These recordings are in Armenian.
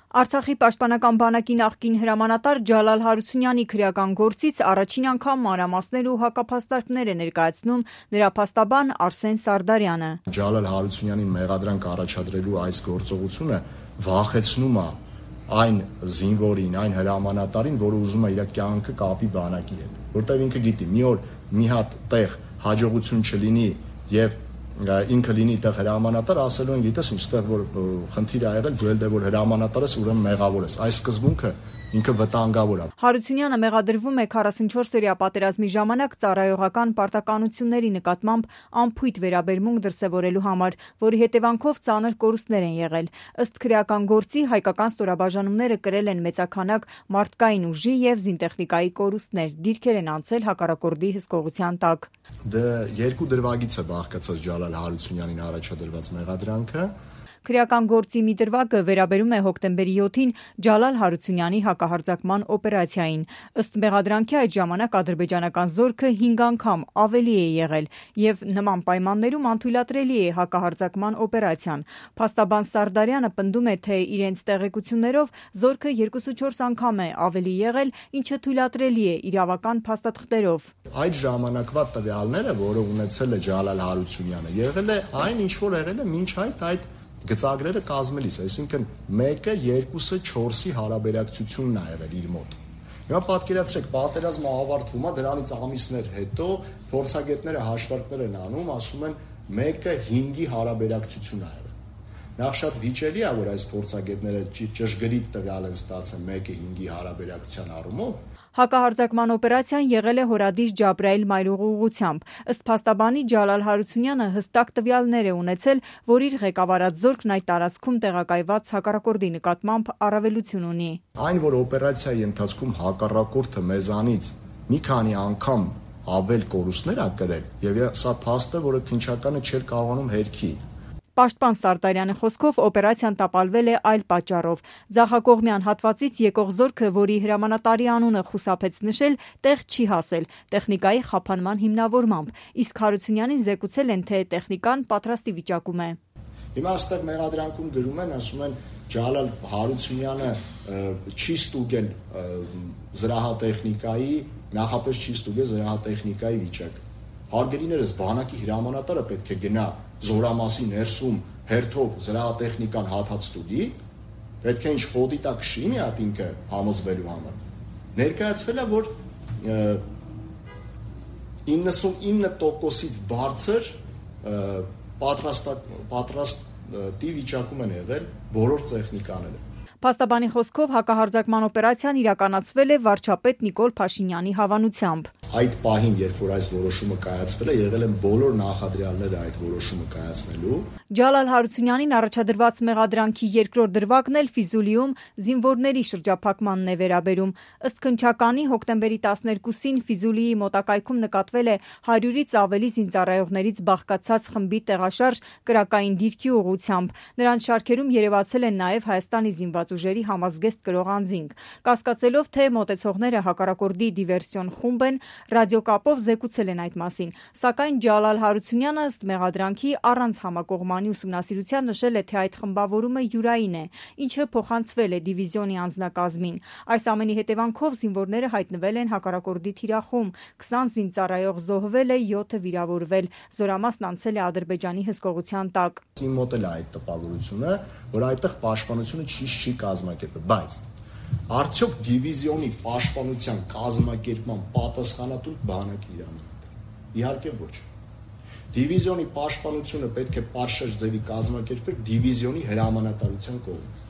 Արցախի պաշտպանական բանակի նախկին հրամանատար Ջալալ Հարությունյանի քրեական գործից առաջին անգամ մանրամասներ ու հակափաստարկներ է ներկայացնում նրա փաստաբան Արսեն Սարդարյանը։ Ջալալ Հարությունյանին մեղադրանք առաջադրելու այս գործողությունը վախեցնում է այն զինվորին, այն հրամանատարին, որը ուզում է իր կյանքը կապի բանակի հետ, որտեղ ինքը գիտի մի օր մի հատ տեղ հաջողություն չլինի եւ ինքը լինի այդտեղ հրամանատար, ասելու են գիտես ինչ, այդտեղ որ խնդիր ա եղել, դու էլ դե որ հրամանատար ես, ուրեմն մեղավոր ես։ Այս սկզբունքը ինքը վտանգավոր է։ Հարությունյանը մեղադրվում է 44-օրյա պատերազմի ժամանակ ծառայողական պարտականությունների նկատմամբ անփույթ վերաբերմունք դրսևորելու համար, որի հետևանքով ծանր կորուստներ են եղել։ Ըստ քրեական գործի հայկական ստորաբաժանումները կրել են մեծաքանակ մարդկային ուժի եւ զինտեխնիկայի կորուստներ, դիրքեր են անցել հակառակորդի հսկողության տակ։ Երկու դրվագից է բաղկացած Ջալալ Հարությունյանին առաջադրված մեղադրանքը։ Քրեական գործի մի դրվագը վերաբերում է հոկտեմբերի 7-ին Ջալալ Հարությունյանի հակահարձակման օպերացիային։ Ըստ մեղադրանքի այդ ժամանակ ադրբեջանական զորքը 5 անգամ ավելի է եղել եւ նման պայմաններում անթույլատրելի է հակահարձակման օպերացիան։ Փաստաբան Սարդարյանը պնդում է, թե իրենց տեղեկություններով զորքը 2-4 անգամ է ավելի եղել, ինչը թույլատրելի է իրավական փաստաթղթերով։ Այդ ժամանակվա տվյալները, որը ունեցել է Ջալալ Հարությունյանը, եղել է այն, ինչ որ եղել է մինչ այդ գծագրերը կազմելիս, այսինքն 1-ը, 2-ը, 4-ի հարաբերակցությունն ա եղել իր մոտ։ Հիմա պատկերացրեք, պատերազմը ավարտվում է, դրանից ամիսներ հետո փորձագետները հաշվարկներ են անում, ասում են 1-ը 5-ի հարաբերակցություն ա եղել։ Նախ շատ վիճելի է, որ այս փորձագետները ճշգրիտ տվյալ են ստացել 1-ը 5-ի հարաբերակցության առումով։ Հակահարձակման օպերացիան եղել է հորադիժ Ջաբրայիլ մայրուղու ուղղությամբ։ Ըստ փաստաբանի Ջալալ Հարությունյանը հստակ տվյալներ է ունեցել, որ իր ղեկավարած զորքն այդ տարածքում տեղակայված հակառակորդի նկատմամբ առավելություն ունի։ Այն, որ օպերացիայի ընթացքում հակառակորդը մեզանից մի քանի անգամ ավել կորուստներ ա կրել, եւ սա փաստ է, որը քննչականը չէր կարողանում հերքի։ Պաշտպան Սարդարյանի խոսքով օպերացիան տապալվել է այլ պատճառով։ Ձախակողմյան հատվածից եկող զորքը, որի հրամանատարի անունը խուսափեց նշել, տեղ չի հասել տեխնիկայի խափանման հիմնավորմամբ, իսկ Հարությունյանին զեկուցել են, թե տեխնիկան պատրաստի վիճակում է։ Հիմա այստեղ մեղադրանքում գրում են, ասում են Ջալալ Հարությունյանը չի ստուգել զրահատեխնիկայի, նախապես չի ստուգել զրահատեխնիկայի վիճակը։ Հարգելիներս, բանակի հրամանատարը պետք է գնա զորամասի ներսում հերթով զրահատեխնիկան հաթած ստուգի, պետք է ինչ խոտի տակ շի մի հատ ինքը համոզվելու համար։ Ներկայացվել է, որ 99%-ից բարձր պատրաստի վիճակում են եղել բոլոր տեխնիկաները։ Փաստաբանի խոսքով հակահարձակման օպերացիան իրականացվել է վարչապետ Նիկոլ Փաշինյանի հավանությամբ։ Այդ պահին, երբ որ այս որոշումը կայացվել է, եղել են բոլոր նախադրյալները այդ որոշումը կայացնելու։ Ջալալ Հարությունյանին առաջադրված մեղադրանքի երկրորդ դրվագն էլ Ֆիզուլիում զինվորների շրջափակմանն է վերաբերում։ Ըստ քննչականի հոկտեմբերի 12-ին Ֆիզուլիի մոտակայքում նկատվել է 100-ից ավելի զինծառայողներից բաղկացած խմբի տեղաշարժ կրակային դիրքի ուղղությամբ։ Նրանց շարքերում երևացել են նաև Հայաստանի զինված ուժերի համազգեստ կրող անձինք։ Կասկածելով, թե մոտեցողները հակառակորդի դիվերսիոն խումբ են, ռադիոկապով զեկուցել են այդ մասին, սակայն Ջալալ Հարությունյանը ըստ մեղադրանքի առանց համակողմանի ուսումնասիրության նշել է, թե այդ խմբավորումը յուրային է, ինչը փոխանցվել է դիվիզիոնի անձնակազմին։ Այս ամենի հետևանքով զինվորները հայտնվել են հակառակորդի թիրախում, 20 զինծառայող զոհվել է, 7-ը վիրավորվել, զորամասն անցել է Ադրբեջանի հսկողության տակ։ Իմ մոտ էլ է այդ տպավորությունը, որ այդտեղ պաշտպանությունը չի կազմակերպել, բայց արդյոք դիվիզիոնի պաշտպանության կազմակերպման պատասխանատուն բանակի հրամանատար։ Իհարկե ոչ։ Դիվիզիոնի պաշտպանությունը պետք է պատշաճ ձևի կազմակերպել դիվիզիոնի հրամանատարության կողմից։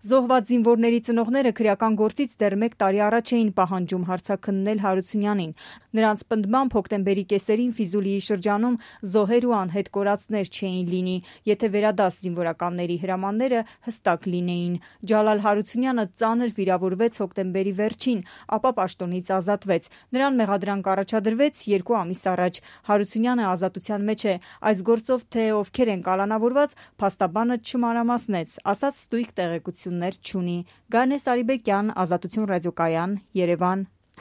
Զոհված զինվորների ծնողները քրեական գործից դեռ 1 տարի առաջ էին պահանջում հարցաքննել Հարությունյանին։ Նրանց պնդմամբ հոկտեմբերի կեսերին Ֆիզուլիի շրջանում զոհեր ու անհետ կորածներ չէին լինի, եթե վերադաս զինվորականների հրամանները հստակ լինեին։ Ջալալ Հարությունյանը ծանր վիրավորվեց հոկտեմբերի վերջին, ապա պաշտոնից ազատվեց։ Նրան մեղադրանք առաջադրվեց 2 ամիս առաջ։ Հարությունյանը ազատության մեջ է։ Այս գործով թե ովքեր են կալանավորված, փաստաբանը չմանրամասնեց, ասաց ստույգ տեղեկություններ չունի։ Գանե Սարիբեկյան, Ազատություն ռադիոկայան, Երևան։